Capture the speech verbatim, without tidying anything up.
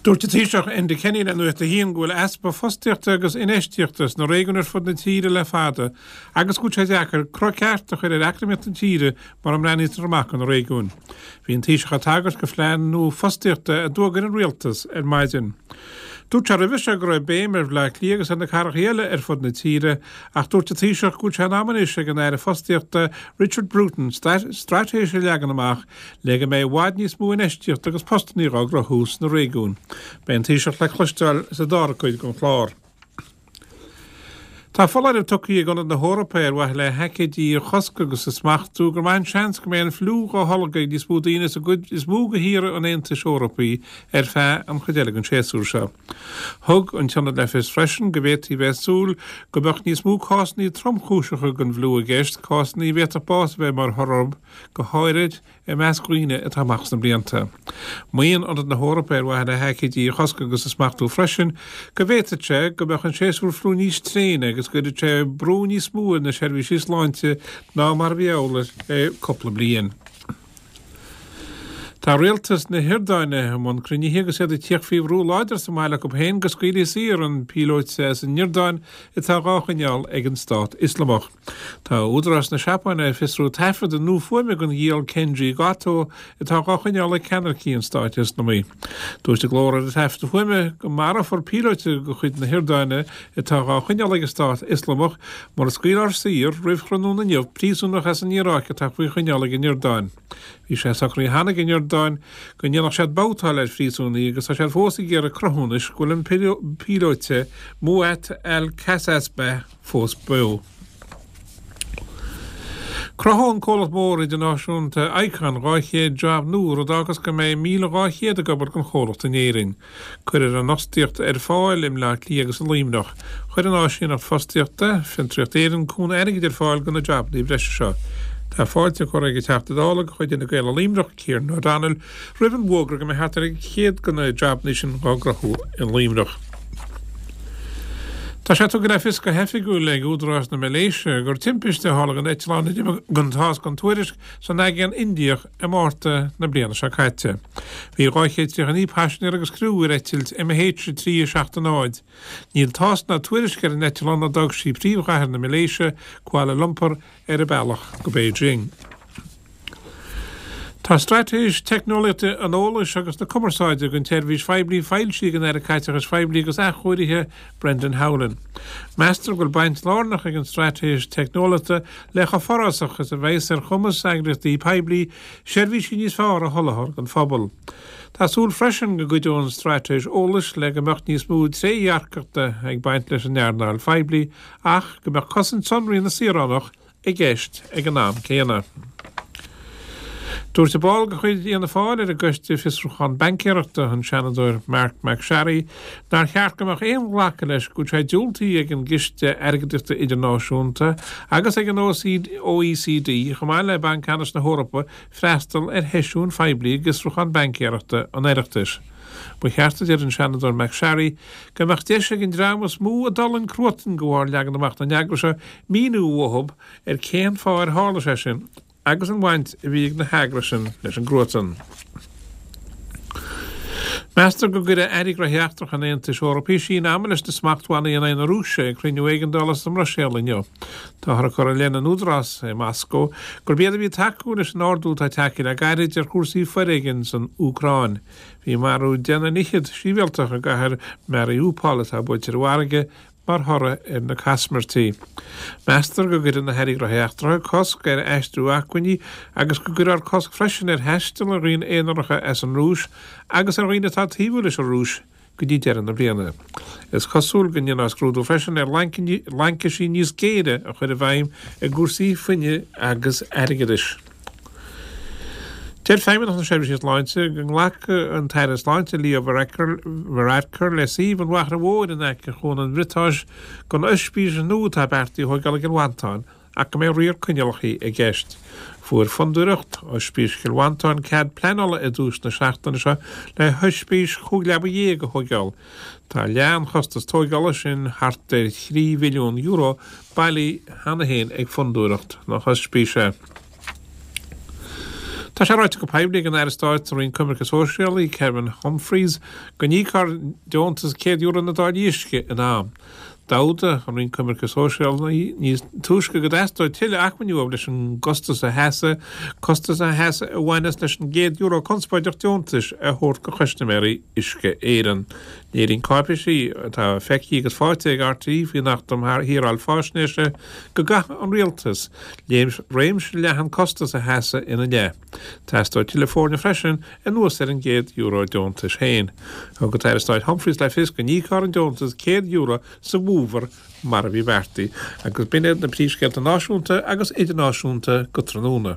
Dúirt an Taoiseach Enda Kenny le Nuacht a hAon go bhfuil easpa fostaíochta agus infheistíochta sna réigiúin ar fud na tíre le fada agus go bhfuil sé deacair cruth ceart a chur ar eacnamaíocht na tíre mura mbreathnaítear amach ó na réigiúin. Bhí an Taoiseach ag tagairt do phlean nua fostaíochta a d'fhógair an rialtas ar maidin. Dúirt sé roimhe seo go raibh béim ar Bhaile Átha Cliath agus ar na cathracha eile ar fud na tíre, ach dúirt an Taoiseach go bhfuil sé in am anois ag an Aire Fostaíochta Richard Bruton straitéis a leagan amach le go mbeidh i bhfad níos mó infheistíochta agus postanna á gcruthú sna réigiúin. Beidh an Taoiseach le cloisteáil sa dara cuid den chlár. Tá foláireamh tugtha ag Ionad na hEorpa ar mhaithe le haicídí a chosc agus a smachtú gur maith an seans go mbeidh an fliú á tholgadh ag níos mó daoine sa gcuid is mó de thíortha an Aontais Eorpaigh ar feadh an chuid eile den séasúr seo. Thug an t-ionad le fios freisin go bhféadfaí bheith ag súil go mbeadh níos mó cásanna tromchúiseacha den bhfliú i gceist, cásanna a bhféadfadh bás a bheith mar thoradh go háirid i measc dhaoine atá amach sna blianta. Maíonn Ionad na hEorpa ar mhaithe le haicídí a chosc agus a smachtú freisin go bhféadfadh sé go mbeadh an séasúr fliú níos tréine agus go gcuirfeadh sé brú níos mó ar na seirbhísí sláinte ná mar a bhí amhlaidh le cúpla bliain. Tá rialtas na hIordáine i mbun cruinnithe agus iad ag tíocht faoi bhrú láidir sa mbaile acu féin go scaoilfí saor an píolóta as an Iordáin atá dhá choinneáil ag an Stát Ioslamach. Tá údaráis na Seapáine ag fiosrú taifead nua fuaime den ghiall Kenji Goto atá dhá choinneáil ag ceannaircigh an Stáit Ioslamaigh. Dúirt an glór ar an taifead fuaime go marófar píolóta de chuid na hIordáine atá dhá choinneáil ag an Stát Ioslamach mura scaoilfear saor roimh thráthnóna inniu príosúnach as an Iaráic atá faoi choinneáil ag an Iordáin. Bhí sé socraithe cheana ag an Iordáin go ndéanfadh siad babhtáil ar phríosúnaigh agus tá siad fós ag iarraidh cruthúnais go bhfuil an píolóta Muath al-Kasasbeh fós beo. Cruthóidh an comhlacht mór idirnáisiúnta Icon dhá chéad jab nua rud a fhágas go mbeidh míle dhá chéad ag obair don chomhlacht in Éirinn. Cuirfear an fhostaíocht ar fáil i mBleá Cliath agus i Luimneach. Chuir an áisíneacht fostaíochta Fiontraíocht Éireann cúnamh airgid ar fáil do na jabanna breise seo. Tá fáilte curtha ag an Teachta Dála de chuid Fhine Gael i Luimneach, Kieran O'Donnell, roimh an bhfógra go mbeidh thart ar chéad de na jabanna sin á gcruthú i Luimneach. Tá sé tugtha le fios go hoifigiúil ag údaráis na Malaeisia gur timpiste a tharla don eitleán a d'imigh gan tásc gan tuairisc san Aigéan Indiach i Márta na bliana seo caite. Bhí dhá chéad tríocha naoi paisinéir agus criú ar eitilt MH trí a seacht náid. Níl tásc ná tuairisc ar an eitleán a d'fhág sí príomhchathair na Malaeisia, Kuala Lumpur, ar a bealach go Beijing. Tá straitéis teicneolaíochta an eolais agus na cumarsáide don tseirbhís phoiblí foilsithe ag an Aire Caiteachais Phoiblí agus Athchóirithe Brendan Howlin. Meastar go bhfuil baint lárnach ag an straitéis teicneolaíochta le chomh forásach is a bheas ar chumas eagraíochtaí poiblí seirbhísí níos fearr a sholáthar don phobal. Tá súil freisin go gcuideoidh an straitéis eolais le go mbeadh níos mó trédhearcachta ag baint leis an earnáil phoiblí ach go mbeadh cosaint sonraí na saoránach i gceist ag an am céanna. Dúirt ball de chuid Fhianna Fáil ar an gcoiste fiosrúchán baincéireachta an Seanadóir Marc MacSharry nár cheart go mbeadh aon ghlacadh leis go bhfuil sé diúltaithe ag an gCiste Airgeadaíochta Idirnáisiúnta agus ag an OECD chomh maith le Banc Ceannais na hEorpa freastal ar sheisiúin phoiblí i bhfiosrúchán baincéireachta an Oireachtais. Ba cheart a deir an Seanadóir MacSharry go mbeadh deis ag an dream is mó a d'fhulaing cruatan de bharr leagan amach na n-eagras seo míniú uathu ar cén fáth ar tharla sé sin agus an bhaint a bhí ag na heagrais sin leis an gcruatan. Meastar go gcuirfidh Airí Gnóthaí Eachtracha an Aontais Eorpaigh síneadh ama leis na smachtbhannaí in aghaidh na Rúise ag cruinniú éigeandála sa mBruiséil inniu. Táthar ag cur i leith na n-údarás i Moscó gurb iad a bhí ag tacú leis an ardú atá tagtha le gairid ar chúrsaí foréigin san Úcráin. Bhí marú deich nduine fhichead sibhialtach i gcathair Mariupol atá buailte ar an bhfarraige mar thoradh ar na caismirtí. Meastar go gcuirfidh na hAirí Gnóthaí Eachtracha cosc ar aistriú acmhainní agus go gcuirfear cosc freisin ar thaisteal ar dhaoine aonaracha as an Rúis agus ar dhaoine atá taobhúil leis an Rúis go dtí deireadh na bliana. Is cosúil go ndéanfar scrúdú freisin ar laincisí níos géire a chur i bhfeidhm i gcúrsaí fuinnimh agus airgeadais. Deir Feidhmeannacht na Seirbhíse Sláinte go nglacfaidh an tAire Sláinte Leo Varadkar le suíomh an Mhachaire Mhóir in aice Chuan an Bhriotáis don ospís nua atá beartaithe a thógáil i gCill Mhantáin ach go mbeidh riar coinníollacha i gceist. Fuair Fondúireacht Ospís Chill Mhantáin cead pleanála i dtús na seachtaine seo le hospís chúig leaba dhéag a thógáil. Tá leath an chostas tógála sin thart ar thrí mhilliún euro bailithe cheana féin ag Fondúireacht na hOspíse. Tá sé ráite go poiblí ag an Aire Stáit sa Roinn Coimirce Sóisialaí, Kevin Humphreys, go n-íocfar deontas céad euro na dtáillí uisce in am. D'fhógair an Roinn Coimirce Sóisialaí níos túisce go dteastódh tuilleadh acmhainní uathu leis an gcostas a sheasamh, costas a sheasamh a bhaineas leis an gcéad euro conspóideach deontais a thabhairt do chustaiméirí Uisce Éireann. Léiríonn cáipéisí atá feicthe agus faighte ag RTÉ faoin Acht um Shaoráil Faisnéise go gcaithfidh an Rialtas réimse leathan costas a sheasamh ina leith. Teastóidh tuilleadh foirne freisin anuas ar an gcéad euro deontais féin. Thug an tAire Stáit Humphreys le fios go n-íocfar an deontas céad euro sa bhfómhar mar a bhí beartaithe agus b'in iad na príomhscéalta náisiúnta agus idirnáisiúnta go tráthnóna.